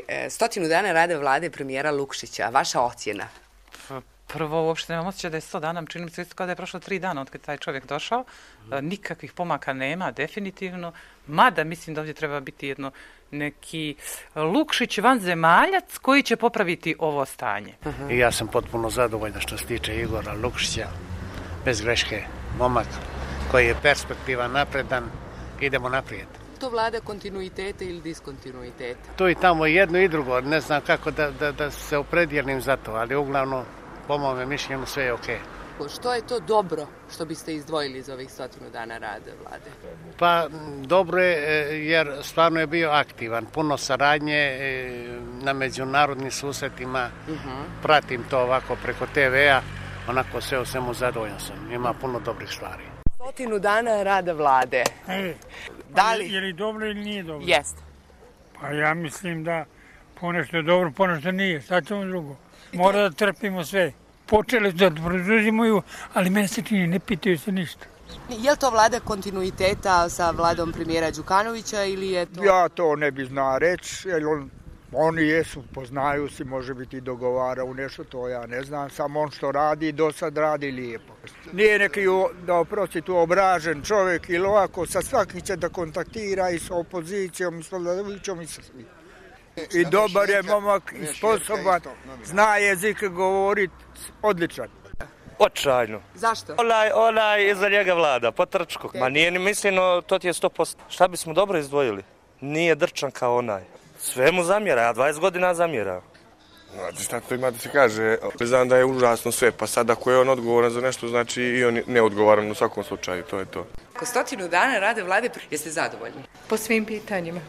100 dana rada vlade premijera Lukšića. Vaša ocjena? Prvo, uopšte nemam osjećaj da je 100 dana, čini mi se isto kao da je prošlo 3 dana od kad taj čovjek došao. Nikakvih pomaka nema, definitivno. Mada mislim da ovdje treba biti neki Lukšić vanzemaljac koji će popraviti ovo stanje. I ja sam potpuno zadovoljan što se tiče Igora Lukšića, bez greške, momak koji je perspektivan, napredan, idemo naprijed. To vlada kontinuiteta ili diskontinuiteta? Tu i tamo jedno i drugo, ne znam kako da se opredijelim za to, ali uglavnom, po mome mišljenju, sve je okej. Što je to dobro što biste izdvojili iz ovih 100 dana rada vlade? Pa dobro je jer stvarno je bio aktivan, puno saradnje na međunarodnim susretima, pratim to ovako preko TV-a, onako sve o svemu zadovoljan sam, ima puno dobrih stvari. 100 dana rada vlade. Da li? Je li dobro ili nije dobro? Jeste. Pa ja mislim da ponešto je dobro, ponešto nije, sad ćemo drugo. Mora da trpimo sve. Počeli da preduzimaju, ali mene se čini, ne pitaju se ništa. Je li to vlada kontinuiteta sa vladom premijera Đukanovića ili je to... Ja to ne bi znao reći, jer oni jesu, poznaju se, može biti dogovara u nešto, to ja ne znam, samo on što radi, do sad radi lijepo. Nije neki, da oprosti tu obražen čovjek ili ovako, sa svakim će da kontaktira i sa opozicijom, i sa vladajućom i sa svim. I dobar je momak, i sposoban, zna jezik govoriti, odličan. Očajno. Zašto? Onaj iza njega vlada, potrčko. Ma nije ni misleno, to ti je 100%. Šta bismo dobro izdvojili? Nije drčan kao onaj. Sve mu zamjera, ja 20 godina zamjera. Znate šta to ima da se kaže, znam da je užasno sve, pa sad ako je on odgovoran za nešto, znači i on ne odgovoran u svakom slučaju, to je to. Ko 100 dana rade vlade, jeste zadovoljni? Po svim pitanjima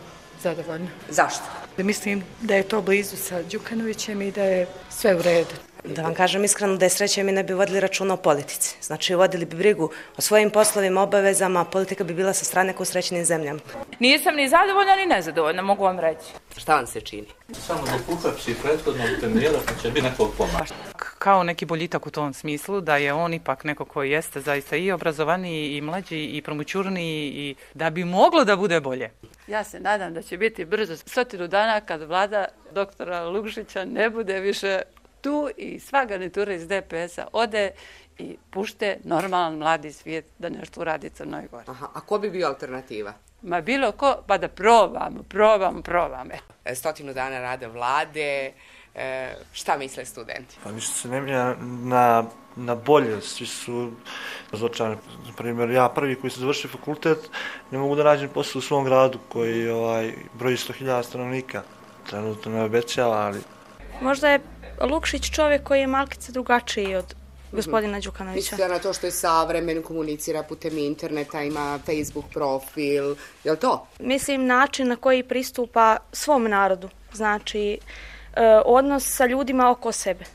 zadovoljni. Zašto? Mislim da je to blizu sa Đukanovićem i da je sve u redu. Da vam kažem iskreno, da je sreće mi ne bi vodili računa o politici. Znači, vodili bi brigu o svojim poslovima, obavezama, politika bi bila sa strane kao srećenim zemljama. Nisam ni zadovoljna ni nezadovoljna, mogu vam reći. Šta vam se čini? Samo da uhapsi prethodnog premijera, pa će biti nekog pomaka. Kao neki boljitak u tom smislu, da je on ipak neko koji jeste zaista i obrazovaniji, i mlađi, i promućurniji, i da bi moglo da bude bolje. Ja se nadam da će biti brzo 100 dana kad vlada doktora Lukšića ne bude više tu i sva garnitura iz DPS-a ode i pušte normalan mladi svijet da nešto uradi Crnoj Gori. Aha, a ko bi bio alternativa? Ma bilo ko, pa da probamo. 100 dana rada vlade, šta misle studenti? Pa ništa se ne mijenja na bolje, svi su razočarani. Na primjer, ja prvi koji sam završio fakultet, ne mogu da nađem posao u svom gradu koji broji 100.000 stanovnika. Trenutno ne obećava, ali... Možda je Lukšić čovjek koji je malkice drugačiji od gospodina Đukanovića. Mislite na to što je savremen, komunicira putem interneta, ima Facebook profil, je li to? Mislim način na koji pristupa svom narodu, znači odnos sa ljudima oko sebe.